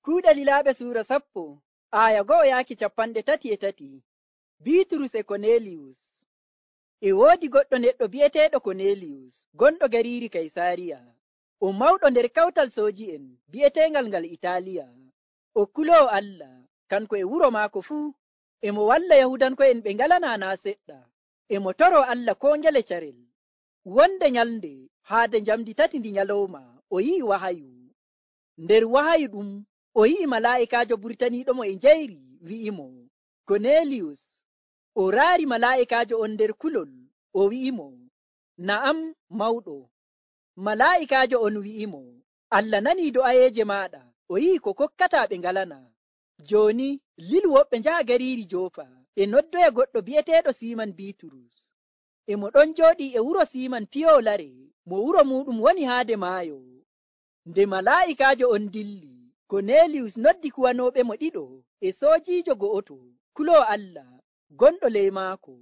Kuuɗe Lilaaɓe suura 10 aya 1:33. Biiturus e Korneliyus. E woodi goɗɗo neɗɗo bi'eteeɗo Korneliyus, gonɗo gariiri Kaysaariya. O mawɗo nder kawtal sooji'en bi'eteengal ngal Itaaliya. O kuloowo Allah, kanko e wuro maako fuu. E mo walla Yahudanko'en ɓe ngalanaa naa seɗɗa. E mo toroo Allah koo ngele carel. Wonde nyalnde haade njamdi 3 ndi nyalawma o yi'i wahayu. Nder wahayu ɗum o yi'i malaa'ikaajo burtaniiɗomo e njayri wi'imo, Korneliyus. O raari malaa'ikaajo on nder kulol, o wi'imo, na'am mawɗo. Malaa'ikaajo on wi'imo, Allah nanii do'ayeeje maaɗa, o yi'i ko kokkataa ɓe ngalanaa. Jooni lilu woɓɓe njaha gariiri Joofa e noddoya goɗɗo bi'eteeɗo Siiman Biiturus. E mo ɗon jooɗii e wuro Siiman piyoowo lare, mo wuro muuɗum woni haade maayo. Nde malaa'ikaajo on dilli, Korneliyus noddi kuwanooɓe mo 2 e soojiijo go'oto, kuloowo Allah, gonɗo ley maako.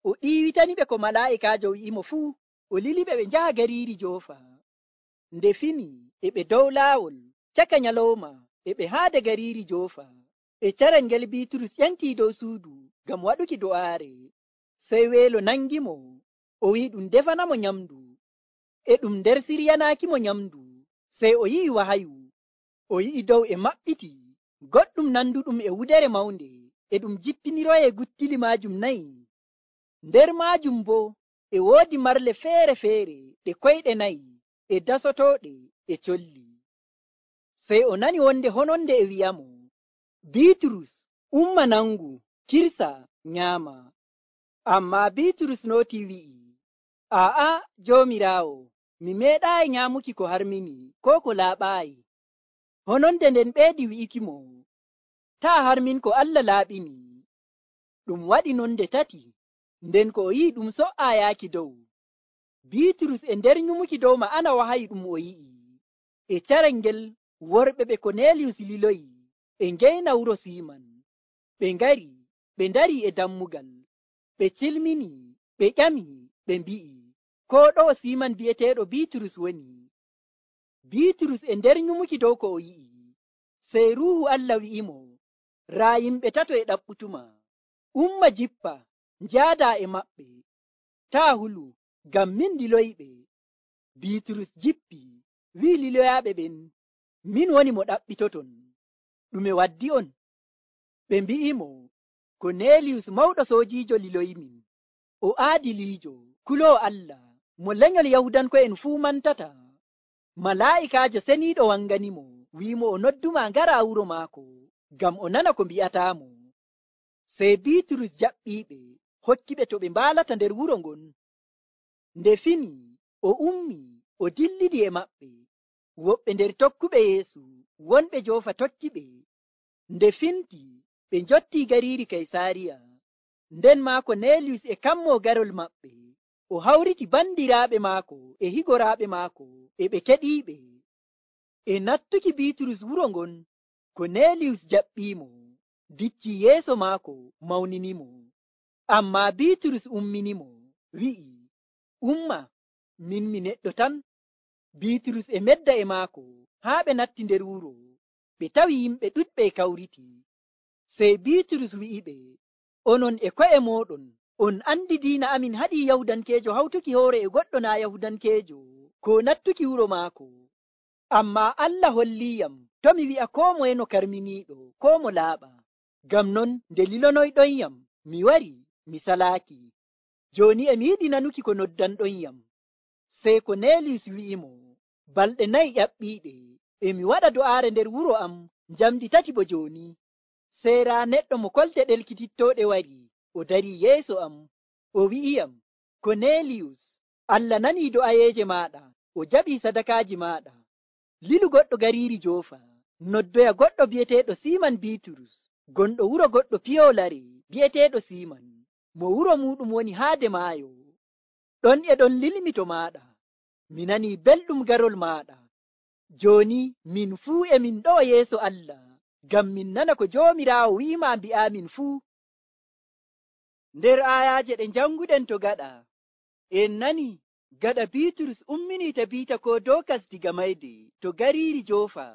O ɗiiwitaniɓe ko malaa'ikaajo wi'imo fuu, o liliɓe ɓe njaha gariiri Joofa. Nde fini e ɓe dow laawol, caka nyalawma e ɓe haade gariiri Joofa. E carel ngel Biiturus ƴentii dow suudu ngam waɗuki do'aare. Sey weelo nangimo, o wi'i ɗum defanamo nyamdu. E ɗum nder siryanaakimo nyamdu, sey o yi'i wahayu. O yi'i dow e maɓɓiti, goɗɗum nanduɗum e wudere mawnde, e ɗum jippiniroyee guttili maajum 4. Nder maajum boo e woodi marle feere-feere ɗe koyɗe 4 e dasotooɗe e colli. Sey o nani wonde hononde e wi'amo, Biiturus, umma nangu, kirsa, nyaama. Ammaa Biiturus nootii wi'i, aa'a Joomiraawo, mi meeɗaayi nyaamuki ko harmini koo ko laaɓaayi. Hononde nden ɓeedi wi'ikimo, taa harmin ko Allah laaɓini. Ɗum waɗi non nde 3, nden ko o yi'i ɗum so''aa yaaki dow. Biiturus e nder nyumuki dow ma'ana wahayi ɗum o yi'i. E carel ngel worɓe ɓe Korneliyus liloyi e ngeyna wuro Siiman. Ɓe ngari, ɓe ndarii e dammugal. Ɓe cilmini, ɓe ƴami, ɓe mbi'i, koo ɗo'o Siiman bi'eteeɗo Biiturus woni. Biiturus e nder nyumuki dow ko o yi'i, sey Ruuhu Allah wi'imo, raa yimɓe 3 e ɗaɓɓutuma. Umma jippa, njaadaa e maɓɓe. Taa hulu, ngam min liloyiɓe. Biiturus jippi, wi'i liloyaaɓe ɓen, min woni mo ɗaɓɓitoton. Ɗume waddi on? Ɓe mbi'imo, Korneliyus mawɗo soojiijo liloyimin. O aadiliijo, kuloowo Allah, mo lenyol Yahudanko'en fuu mantata. Malaa'ikaajo seniiɗo wanganimo, wi'imo o nodduma ngara wuro maako, ngam o nana ko mbi'ataamo. Sey Biiturus jaɓɓiiɓe, hokkiɓe to ɓe mbaalata nder wuro ngon. Nde fini, o ummi, o dillidi e maɓɓe. Woɓɓe nder tokkuɓe Yeesu, wonɓe Joofa tokkiɓe. Nde finti, ɓe njottii gariiri Kaysaariya. Nden maa Korneliyus e kammoo garol maɓɓe. O hawriti bandiraaɓe maako e higoraaɓe maako, e ɓe keɗiiɓe. E nattuki Biiturus wuro ngon, Korneliyus jaɓɓiimo, diccii yeeso maako, mawninimo. Ammaa Biiturus umminimo, wi'i, umma, min mi neɗɗo tan. Biiturus e medda e maako haa ɓe natti nder wuro. Ɓe tawi yimɓe ɗuɗɓe e kawriti. Sey Biiturus wi'iɓe, onon e ko'e mooɗon, on andi diina amin haɗii Yahudankeejo hawtuki hoore e goɗɗo naa Yahudankeejo, ko nattuki wuro maako. Ammaa Allah holliyam to mi wi'a koo moye no karminiiɗo koo mo laaɓa. Ngam non nde lilonoyɗonyam, mi wari, mi salaaki. Jooni e mi yiɗi nanuki ko noddanɗonyam. Sey Korneliyus wi'imo, balɗe 4 ƴaɓɓiiɗe, e mi waɗa do'aare nder wuro am njamdi 3 bo jooni. Sey raa neɗɗo mo kolte ɗelkitittooɗe wari, o darii yeeso am, o wi'iyam, Korneliyus, Allah nanii do'ayeeje maaɗa, o jaɓii sadakaaji maaɗa. Lilu goɗɗo gariiri Joofa, noddoya goɗɗo bi'eteeɗo Siiman Biiturus, gonɗo wuro goɗɗo piyoowo lare bi'eteeɗo Siiman, mo wuro muuɗum woni haade maayo. Ɗon e ɗon lilmi to maaɗa, mi nanii belɗum garol maaɗa. Jooni min fuu e min ɗo yeeso Allah, ngam min nana ko Joomiraawo wi'ima mbi'aamin fuu. Nder aayaaje ɗe njanguɗen to gaɗa, en nani gaɗa Biiturus umminii tabiita ko Dookas diga mayde to gariiri Joofa.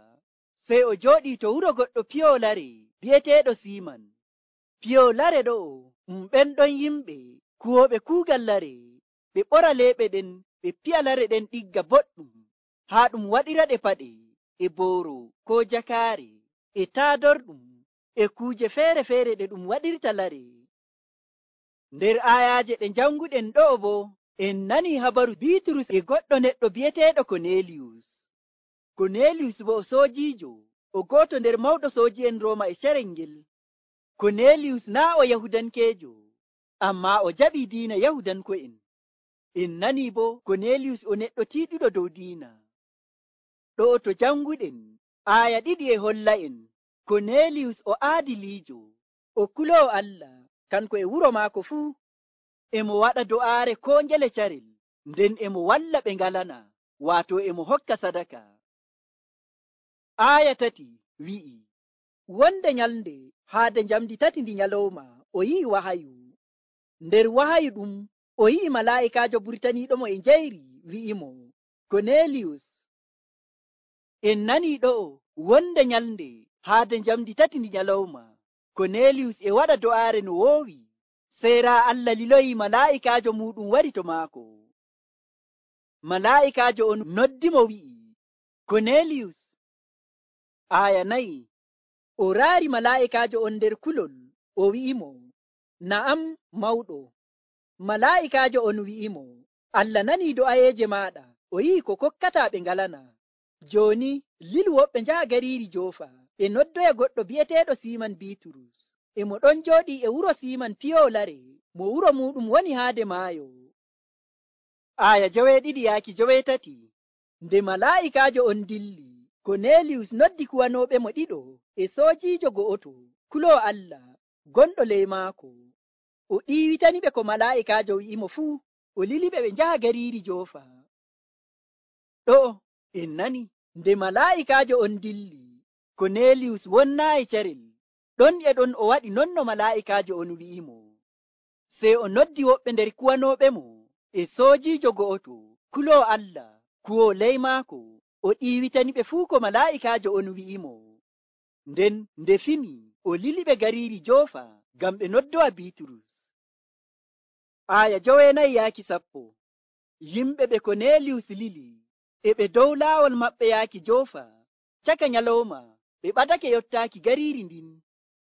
sey o jooɗii to wuro goɗɗo piyoolare bi'eteeɗo Siiman. Piyoolare ɗo'o ɓen ɗon yimɓe kuwooɓe kuugal lare, ɓe ɓora leeɓe ɗen, ɓe piya lare ɗen ɗigga boɗɗum, haa ɗum waɗiraɗe paɗe, e booro koo jakaare, e taadorɗum, e kuuje feere-feere ɗe ɗum waɗirta lare. Nder aayaaje ɗe janguɗen ɗo'o boo, en nanii habaru Biiturus e goɗɗo neɗɗo bi'eteeɗo Koneeliyus. Koneeliyus boo o soojiijo, o gooto nder mawɗo sooji'en Rooma e carel ngel. Koneeliyus naa o Yahudankeejo, ammaa o jaɓii diina Yahudanko'en. En nanii boo Koneeliyus o neɗɗo tiiɗuɗo dow diina. Ɗo'o to janguɗen, aaya 2 e holla'en Koneeliyus o aadiliijo, o kuloowo Allah, kanko e wuro maako fuu. Emo waɗa do'aare koo ngele carel, nden emo walla ɓe ngalana, waato emo hokka sadaka. Aaya 3 wi'i, wonde nyalnde haade njamdi 3 ndi nyalowma o yi'i wahayu. Nder wahayu ɗum o yi'i malaa'ikaajo burtaniiɗomo e njayri wi'imo, Koneeliyus. En nanii ɗo'o wonde nyalnde haade njamdi 3 ndi nyalowma Koneeliyus e waɗa do'aare no woowi, sey raa Allah liloyi malaa'ikaajo muuɗum wari to maako. Malaa'ikaajo on noddimo wi'i, Koneeliyus. Aaya 4 o raari malaa'ikaajo on nder kulol, o wi'imo, na'am mawɗo. Malaa'ikaajo on wi'imo, Allah nanii do'ayeeje maaɗa, o yi'i ko kokkataa ɓe ngalana. Jooni lilu woɓɓe njaha gariiri Joofa, ɓe noddoya goɗɗo bi'eteeɗo Siiman Biiturus. Emo ɗon jooɗii e wuro Siiman piyoowo lare, mo wuro muuɗum woni haade maayo. Aaya 7-3 nde malaa'ikaajo on dilli, Koneeliyus noddi kuwanooɓe mo 2 e soojiijo go'oto kuloowo Allah gonɗo ley maako. O ɗiiwitaniɓe ko malaa'ikaajo wi'imo fuu, o liliɓe ɓe njaha gariiri Joofa. Ɗo'o en nani nde malaa'ikaajo on dilli, Koneeliyus wonnaayi carel, ɗon e ɗon o waɗi non no malaa'ikaajo on wi'imo. Sey o noddi woɓɓe nder kuwanooɓe mo e soojiijo go'oto kuloowo Allah kuwoo ley maako, o ɗiiwitaniɓe fuu ko malaa'ikaajo on wi'imo. Nden nde fini o liliɓe gariiri Joofa ngam ɓe noddowa Biiturus. Aaya 9-10 yimɓe ɓe Koneeliyus lili e ɓe dow laawol maɓɓe yaaki Joofa. Caka nyalowma ɓe ɓadake yottaaki gariiri ndin.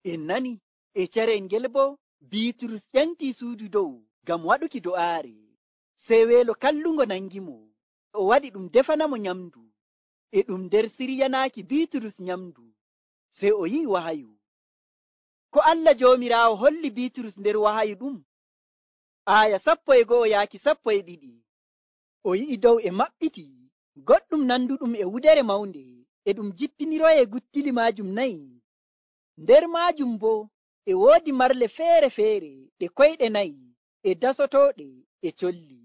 En nani e carel ngel boo Biiturus ƴantii suudu dow ngam waɗuki do'aare. Sey weelo kallungo nangimo, o waɗi ɗum defanamo nyamdu, e ɗum nder siryanaaki Biiturus nyamdu. Sey o yi'i wahayu. Ko Allah Joomiraawo holli Biiturus nder wahayu ɗum? Aaya 11-12 o yi'i dow e maɓɓiti, goɗɗum nanduɗum e wudere mawnde, e ɗum jippiniroyee guttili maajum 4. Nder maajum boo e woodi marle feere-feere ɗe koyɗe 4 e dasotooɗe e colli.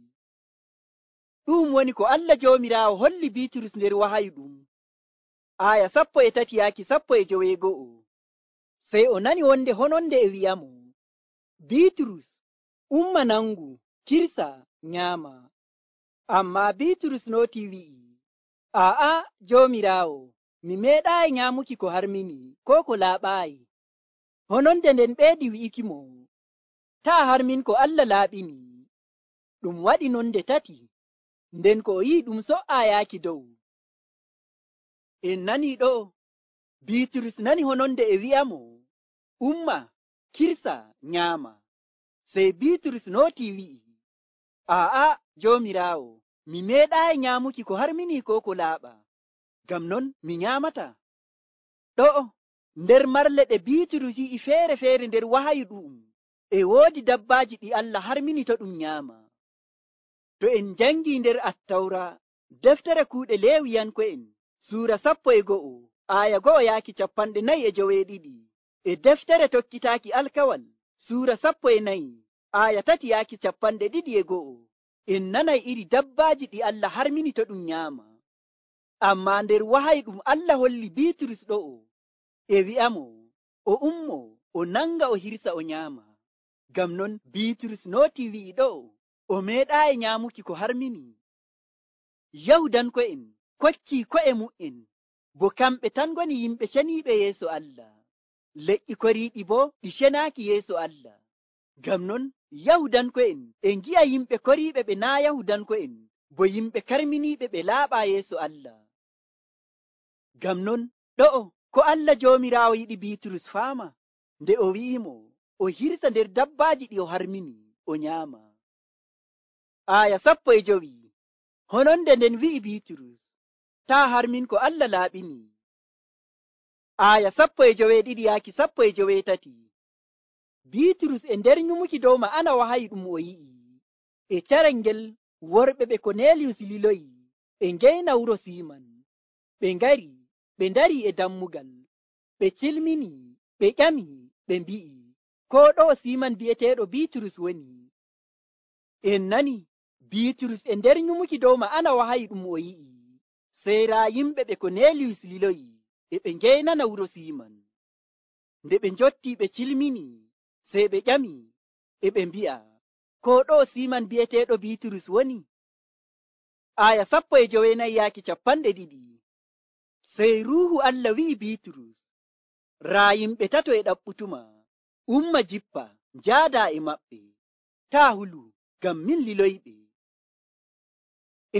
Ɗum woni ko Allah Joomiraawo holli Biiturus nder wahayu ɗum. Aaya 13-19 sey o nani wonde hononde e wi'amo, Biiturus, umma nangu, kirsa, nyaama. Ammaa Biiturus nootii wi'i, aa'a Joomiraawo, mi meeɗaayi nyaamuki ko harmini koo ko laaɓaayi. Hononde nden ɓeedi wi'ikimo, taa harmin ko Allah laaɓini. Ɗum waɗi nonde 3, nden ko o yi'i ɗum so''aa yaaki dow. En nanii ɗo Biiturus nani hononde e wi'amo, umma, kirsa, nyaama. Sey Biiturus nootii wi'i, aa'a Joomiraawo, mi meeɗaayi nyaamuki ko harmini koo ko laaɓa, ngam non mi nyaamata. Ɗo'o nder marle ɗe Biiturus yi'i feere-feere nder wahayu ɗu'um, e woodi dabbaaji ɗi Allah harmini to ɗum nyaama. To en njangii nder Attawra, deftere kuuɗe Leewiyanko'en, Suura 11 aaya 1-42, e deftere tokkitaaki alkawal, Suura 14 aaya 3-22, en nanay iri dabbaaji ɗi Allah harmini to ɗum nyaama. Ammaa nder wahayu ɗum Allah holli Biiturus ɗo'o, e wi'amo o ummo o nanga o hirsa o nyaama. Ngam non Biiturus nootii wi'i ɗo'o, o meeɗaayi nyaamuki ko harmini. Yahudanko'en koccii ko'e mu'en bo kamɓe tan ngoni yimɓe ceniiɓe yeeso Allah. Leƴƴi koriiɗi bo ɗi cenaaki yeeso Allah. Ngam non Yahudanko'en e ngi'a yimɓe koriiɓe ɓe naa Yahudanko'en bo yimɓe karminiiɓe ɓe laaɓaa yeeso Allah. Ngam non ɗo'o ko Allah Joomiraawo yiɗi Biiturus faama nde o wi'imo o hirsa nder dabbaaji ɗi o harmini o nyaama. Aya 15. Hononde nden wi'i Biiturus, taa harmin ko Allah laaɓini. Aya 12-13. Biiturus e nder nyumuki dow ma'ana wahayi ɗum o yi'i e carel ngel worɓe ɓe Koneliyus liloyi e ngeyna wuro Siiman. Ɓe ngari ɓe ndari e dammugal, ɓe cilmini, ɓe ƴami, ɓe mbi'i, ko ɗo Siiman bi'eteeɗo Biiturus woni. En nani Biiturus e nder nyumuki dow ma'ana wahayi ɗum o yi'i, sey raa yimɓe ɓe Koneliyus liloyi e ɓe ngeynana wuro Siiman. Nde ɓe njotti ɓe cilmini, sey ɓe ƴami e ɓe mbi'a, ko ɗo Siiman bi'eteeɗo Biiturus woni. Aya 19-20. Sey Ruuhu Allah wi'i Biiturus, raa yimɓe tato e ɗaɓɓutuma, umma jippa njaada e maɓɓe, taa hulu ngam min liloyɓe.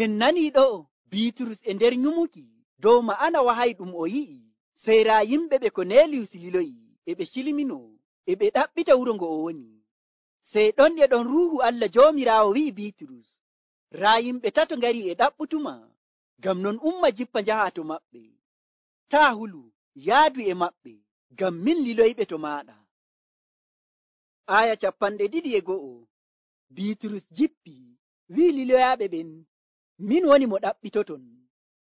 En nani ɗo'o Biiturus e nder nyumuki dow ma'ana wahayi ɗum o yi'i, sey raa yimɓe ɓe Koneliyus liloyi e ɓe cilmino e ɓe ɗaɓɓita wuro ngo o woni. Sey ɗon e ɗon Ruuhu Allah Joomiraawo wi'i Biiturus, raa yimɓe tato ngari e ɗaɓɓutuma, ngam non umma jippa njaha to maɓɓe, taa hulu yaadu e maɓɓe, ngam min liloyɓe to maaɗa. Aya 21. Biiturus jippi wi'i liloyaaɓe ɓen, min woni mo ɗaɓɓitoton,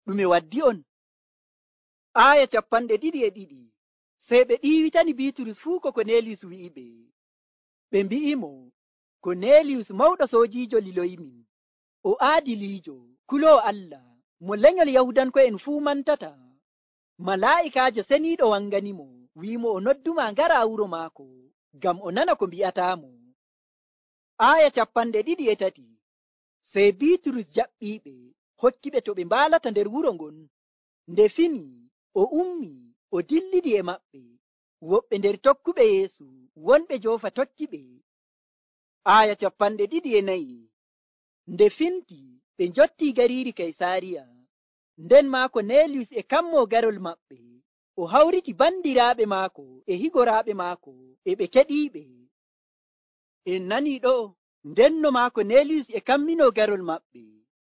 ɗume waddi on? Aya 22. Sey ɓe ɗiiwitani Biiturus fuu ko Koneliyus wi'iɓe. Ɓe mbi'imo, Koneliyus mawɗo soojiijo liloyimin, o aadiliijo, kuloowo Allah, mo lenyol Yahudanko'en fuu mantata. Malaa'ikaajo seniiɗo wanganimo, wi'imo o nodduma ngara wuro maako, ngam o nana ko mbi'ataamo. Aya 23. Sey Biiturus jaɓɓiiɓe, hokkiɓe to ɓe mbaalata nder wuro ngon. Nde fini, o ummi, o dillidi e maɓɓe, woɓɓe nder tokkuɓe Yeesu, wonɓe Joofa tokkiɓe. Aya 24. Nde finti, ɓe njotti gariiri Kaysaariya. Nden maa Koneliyus e kammoo garol maɓɓe, o hawriti bandiraaɓe maako e higoraaɓe maako, e ɓe keɗiiɓe. En nanii ɗo, ndenno maa Koneliyus e kamminoo garol maɓɓe,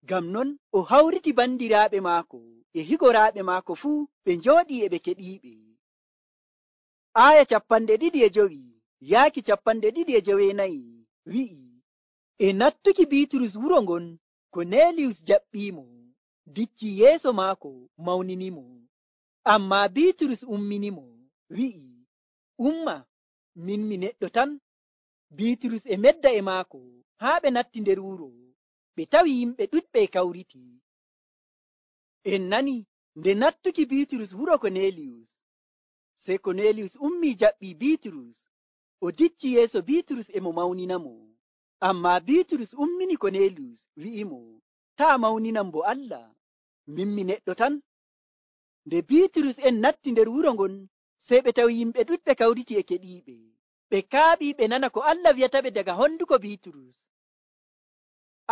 ngam non o hawriti bandiraaɓe maako e higoraaɓe maako fuu ɓe njooɗii e ɓe keɗiiɓe. Aya 25-29 wi'i, e nattuki Biiturus wuro ngon, Koneliyus jaɓɓiimo, dicci yeeso maako mawninimo. Ammaa Biiturus umminimo, wi'i, umma, min mi neɗɗo tan. Biiturus e medda e maako haa ɓe natti nder wuro, ɓe tawi yimɓe ɗuɗɓe kawriti. En nani nde nattuki Biiturus wuro Koneliyus, sey Koneliyus ummii jaɓɓii Biiturus, o dicci yeeso Biiturus e mo mawninamo. Ammaa Biiturus ummini Koneliyus, wi'imo, taa mawninam bo Allah, min mi neɗɗo tan. Nde Biiturus en natti nder wuro ngon, sey ɓe tawi yimɓe ɗuɗɓe kawriti e keɗiiɓe. Ɓe kaaɓii ɓe nana ko Allah wi'ataɓe daga honduko Biiturus.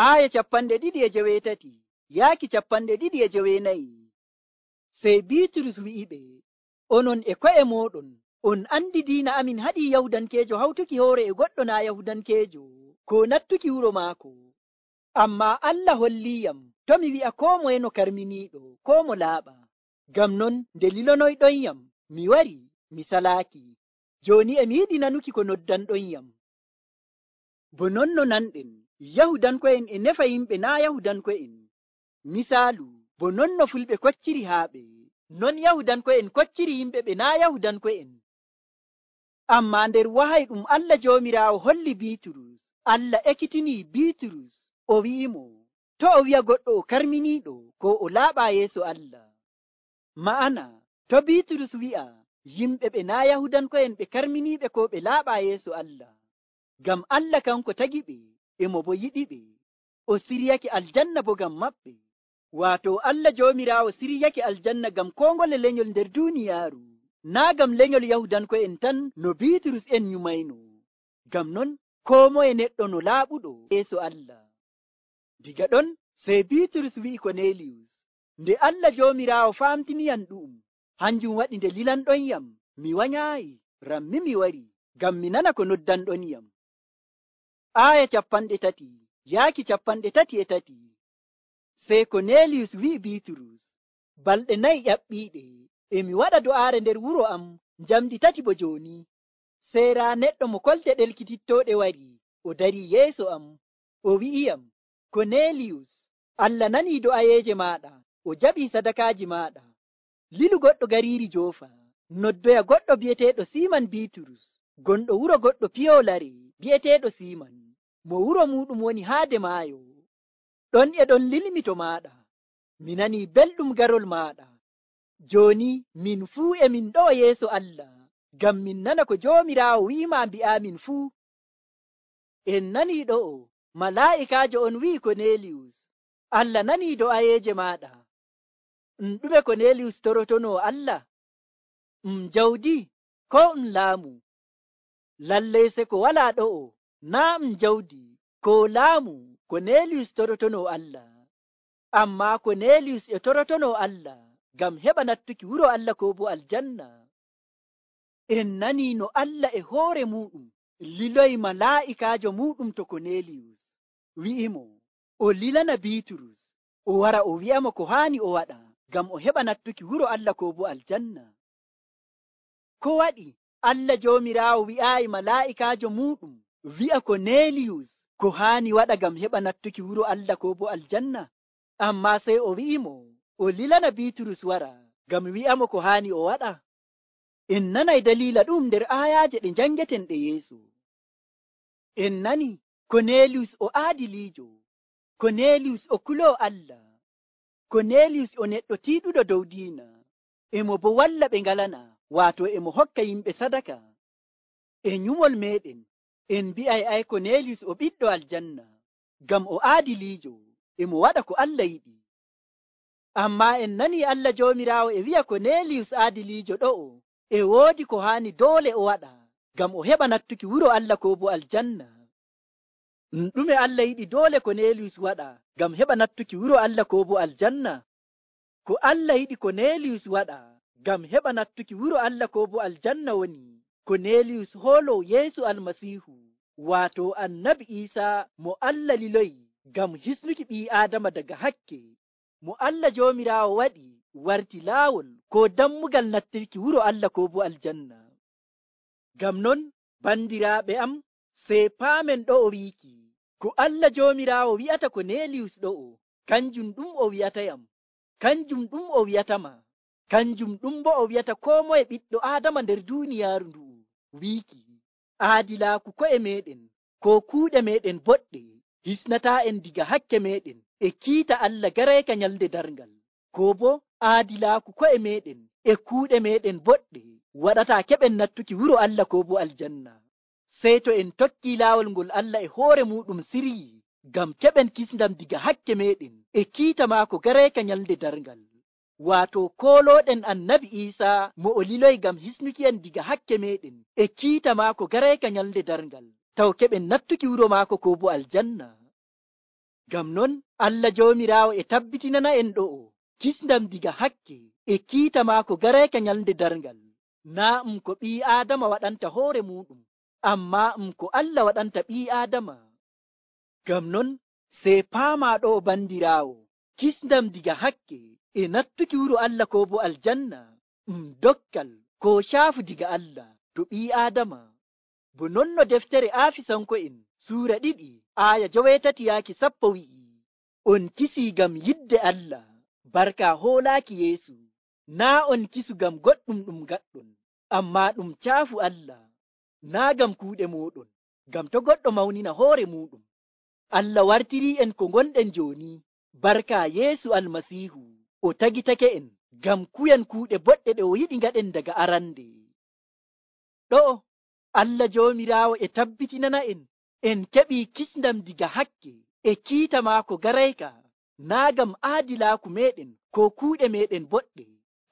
Aya 23-24. Sey Biiturus wi'iɓe, onon e ko'e mooɗon, on andi diina amin haɗii Yahudankeejo hawtuki hoore e goɗɗo naa Yahudankeejo, ko nattuki wuro maako. Ammaa Allah holliyam to mi wi'a koo moye no karminiiɗo, koo mo laaɓa. Ngam non nde lilonoyɗonyam, mi wari, mi salaaki. Jooni e mi yiɗi nanuki ko noddanɗonyam. Bo non no nanɗen, Yahudanko'en e nefa yimɓe naa Yahudanko'en. Misaalu, bo non no fulɓe kocciri haaɓe, non Yahudanko'en kocciri yimɓe ɓe naa Yahudanko'en. Ammaa nder wahay ɗum Allah Joomiraawo holli Biiturus, Allah ekkitinii Biiturus, o wi'imo, to o wi'a goɗɗo o karminiiɗo ko o laaɓaa yeeso Allah. Ma'ana, to Biiturus wi'a yimɓe ɓe naa Yahudanko'en ɓe karminiiɓe ko ɓe laaɓaa yeeso Allah, ngam Allah kanko tagiɓe, e mo bo yiɗiɓe, o siryake aljanna bo ngam maɓɓe. Waato Allah Joomiraawo siryake aljanna ngam koo ngole lenyol nder duuniyaaru, naa ngam lenyol Yahudanko'en tan no Biiturus en nyumayno. Ngam non koo moye neɗɗo no laaɓuɗo yeeso Allah. Diga ɗon sey Biiturus wi'i Koneeliyus, nde Allah Joomiraawo famtiniyam ɗu'um, hanjum waɗi nde lilanɗonyam mi wanyaayi, rammi mi wari ngam mi nana ko noddanɗonyam. Aaya 33. Sey Koneeliyus wi'i Biiturus, balɗe 4 ƴaɓɓiiɗe e mi waɗa do'aare nder wuro am njamdi 3 bo jooni. Sey raa neɗɗo mo kolte ɗelkitittooɗe wari o darii yeeso am, o wi'iyam, Koneeliyus, Allah nanii do'ayeeje maaɗa, o jaɓii sadakaaji maaɗa. Lilu goɗɗo gariiri Joofa, noddoya goɗɗo bi'eteeɗo Siiman Biiturus, gonɗo wuro goɗɗo piyoolare bi'eteeɗo Siiman, mo wuro muuɗum woni haade maayo. Ɗon e ɗon lilmito maaɗa, mi nanii belɗum garol maaɗa. Jooni min fuu e min ɗo'o yeeso Allah, ngam min nana ko Joomiraawo wi'imaa mbi'aamin fuu. En nanii ɗo'o, malaa'ikaajo on wi'i Koneeliyus, Allah nanii do'ayeeje maaɗa. Ɗume Koneeliyus torotonoo Allah? Jawdi koo laamu? Lallay se ko walaa ɗo'o, naa jawdi koo laamu Koneeliyus torotonoo Allah. Ammaa Koneeliyus e torotonoo Allah ngam heɓa nattuki wuro Allah koo bo aljanna. En nanii no Allah e hoore muuɗum liloyi malaa'ikaajo muuɗum to Koneeliyus, wi'imo o lilana Biiturus, o wara o wi'amo ko haani o waɗa ngam o heɓa nattuki wuro Allah koo bo aljanna. Ko waɗi Allah Joomiraawo wi'aayi malaa'ikaajo muuɗum wi'a Koneeliyus ko haani waɗa ngam heɓa nattuki wuro Allah koo bo aljanna? Ammaa sey o wi'imo o lilana Biiturus wara ngam wi'amo ko haani o waɗa. En nanay daliila ɗum nder aayaaje ɗe njangeten ɗe yeeso. En nani Koneeliyus o aadiliijo, Koneeliyus o kuloo Allah, Koneeliyus o neɗɗo tiiɗuɗo dow diina, emo bo walla ɓe ngalana, waato emo hokka yimɓe sadaka. E nyumol meɗen en mbi'ay ay Koneeliyus o ɓiɗɗo aljanna, ngam o aadiliijo, emo waɗa ko Allah yiɗi. Ammaa en nanii Allah Joomiraawo e wi'a Koneeliyus aadiliijo ɗo'o e woodi ko haani doole o waɗa ngam o heɓa nattuki wuro Allah koo bo aljanna. Ɗume Allah yiɗi doole Koneeliyus waɗa ngam heɓa nattuki wuro Allah koo bo aljanna? Ko Allah yiɗi Koneeliyus waɗa ngam heɓa nattuki wuro Allah koo bo aljanna woni Koneeliyus hooloo Yeesu Almasiihu, waato Annabi Iisaa mo Allah liloyi ngam hisnuki ɓii Aadama daga hakke, mo Allah Joomiraawo waɗi warti laawol koo dammugal nattirki wuro Allah koo bo aljanna. Ngam non bandiraaɓe am, sey paamen ɗo'o wiiki, ko Allah Joomiraawo wi'ata Koneeliyus ɗo'o, kanjum ɗum o wi'atayam, kanjum ɗum o wi'atama, kanjum ɗum bo o wi'ata koo moye ɓiɗɗo Aadama nder duuniyaaru ndu'u, wiiki, aadilaaku ko'e meɗen koo kuuɗe meɗen boɗɗe hisnataa en diga hakke meɗen e kiita Allah garayka nyalde darngal, koo bo aadilaaku ko'e meɗen e kuuɗe meɗen boɗɗe waɗataa keɓen nattuki wuro Allah koo bo aljanna. Sey to en tokkii laawol ngol Allah e hoore muuɗum siryi ngam keɓen kisndam diga hakke meɗen e kiita maako garayka nyalde darngal, waato koolooɗen Annabi Iisaa mo o liloyi ngam hisnuki en diga hakke meɗen e kiita maako garayka nyalde darngal, taw keɓen nattuki wuro maako koo bo aljanna. Ngam non Allah Joomiraawo e tabbitinana en ɗo'o kisndam diga hakke e kiita maako garayka nyalde darngal, naa ko ɓii Aadama waɗanta hoore muuɗum, ammaa ko Allah waɗanta ɓii Aadama. Ngam non sey paamaa ɗo'o bandiraawo, kisndam diga hakke e nattuki wuro Allah koo bo aljanna dokkal koo caafu diga Allah to ɓii Aadama. Bo non no deftere Aafisanko'en suura 2 aaya 9-10 wi'i, on kisii ngam yidde Allah barka hoolaaki Yeesu, naa on kisu ngam goɗɗum ɗum gaɗɗon, ammaa ɗum caafu Allah, naa ngam kuuɗe mooɗon, ngam to goɗɗo mawnina hoore muuɗum. Allah wartirii en ko ngonɗen jooni barka Yeesu Almasiihu, o tagitake en ngam kuyen kuuɗe boɗɗe ɗe o yiɗi ngaɗen daga arande. Ɗo'o Allah Joomiraawo e tabbitinana en keɓii kisndam diga hakke e kiita maako garayka naa ngam aadilaaku meɗen ko kuuɗe meɗen boɗɗe,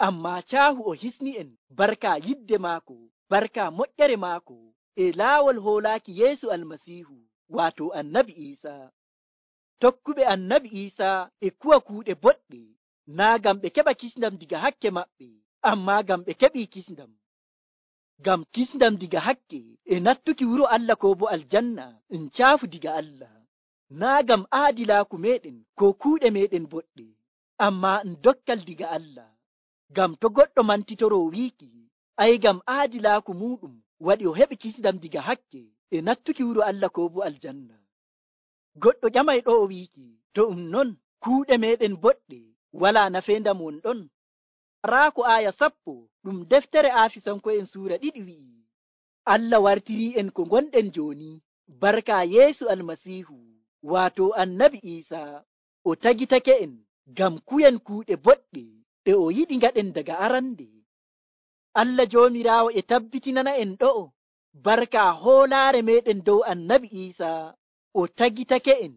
ammaa caahu o hisni en barka yidde maako, barka moƴƴere maako e laawol hoolaaki Yeesu Almasiihu, waato Annabi Iisaa. Tokkuɓe Annabi Iisaa e kuwa kuuɗe boɗɗe, naa ngam ɓe keɓa kisndam diga hakke maɓɓe, ammaa ngam ɓe keɓii kisndam. Ngam kisndam diga hakke e nattuki wuro Allah ko bo aljanna caafu diga Allah, naa ngam aadilaaku meɗen ko kuuɗe meɗen boɗɗe, ammaa dokkal diga Allah. Ngam to goɗɗo mantitoroo wiiki, ay ngam aadilaaku muɗum waɗi o heɓi kisndam diga hakke e nattuki wuro Allah ko bo aljanna. Goɗɗo ƴamay ɗo o wiiki, to non kuuɗe meɗen boɗɗe walaa nafeendam won ɗon. Raako aya 10 ɗum deftere Aafisanko'en suura 2 wi'i, Allah wartirii en ko gonɗen jooni barka Yeesu Almasiihu, waato Annabi Iisaa, o tagitake en ngam kuyen kuuɗe boɗɗe ɗe o yiɗi ngaɗen daga arande. Allah Joomiraawo e tabbitinana en ɗo'o barka hoolaare meɗen dow Annabi Iisaa, o tagitake en,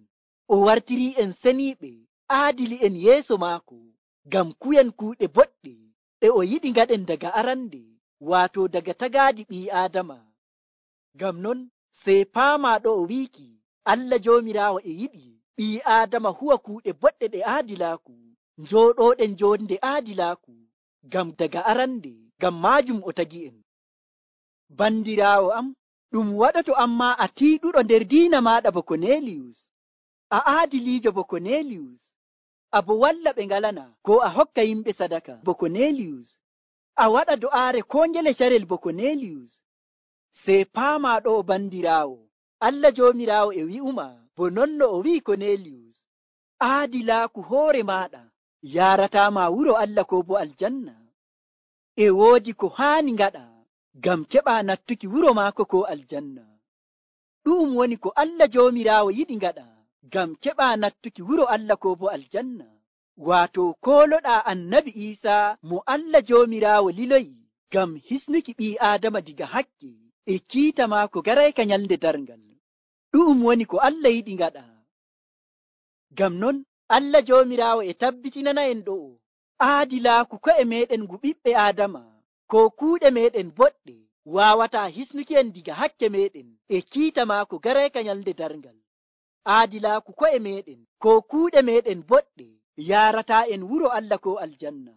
o wartirii en seniiɓe, aadili en yeeso maako ngam kuyen kuuɗe boɗɗe ɗe o yiɗi ngaɗen daga arande, waato daga tagaaɗi ɓii Aadama. Ngam non sey paamaa ɗo o wiiki, Allah Joomiraawo e yiɗi ɓii Aadama huwa kuuɗe boɗɗe ɗe aadilaaku, njooɗooɗen joonde aadilaaku, ngam daga arande, ngam maajum o tagi en. Bandiraawo am, ɗum waɗoto ammaa a tiiɗuɗo nder diina maaɗa bo Korneliyus, a aadiliijo bo Korneliyus, a bo walla ɓe ngalana ko a hokka yimɓe sadaka bo Korneliyus, a waɗa do'aare ko ngele carel bo Korneliyus. Sey paamaa ɗo bandiraawo, Allah Joomiraawo e wi'uma bo non no o wi'i Korneliyus, aadilaaku hoore maaɗa yaarataama wuro Allah ko bo aljanna. E woodi ko haani ngaɗa ngam keɓaa nattuki wuro maako ko aljanna. Ɗu'um woni ko Allah Joomiraawo yiɗi ngaɗa ngam keɓaa nattuki wuro Allah ko bo aljanna, waato kooloɗaa Annabi Iisaa mo Allah Joomiraawo liloyi ngam hisnuki ɓii Aadama diga hakke e kiita maako garayka nyalnde darngal. Ɗu'um woni ko Allah yiɗi ngaɗa. Ngam non Allah Joomiraawo e tabbitinana en ɗo'o aadilaaku ko'e meɗen ngu ɓiɓɓe Aadama ko kuuɗe meɗen boɗɗe waawataa hisnuki en diga hakke meɗen e kiita maako garayka nyalnde darngal. Aadilaaku ko'e meɗen ko kuuɗe meɗen boɗɗe yaarataa en wuro Allah ko aljanna,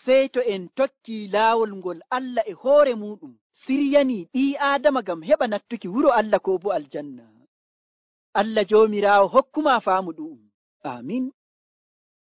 sey to en tokkii laawol ngol Allah e hoore muɗum siryanii ɓii Aadama ngam heɓa nattuki wuro Allah ko bo aljanna. Allah Joomiraawo hokkumaa faamu ɗu'um. Amin.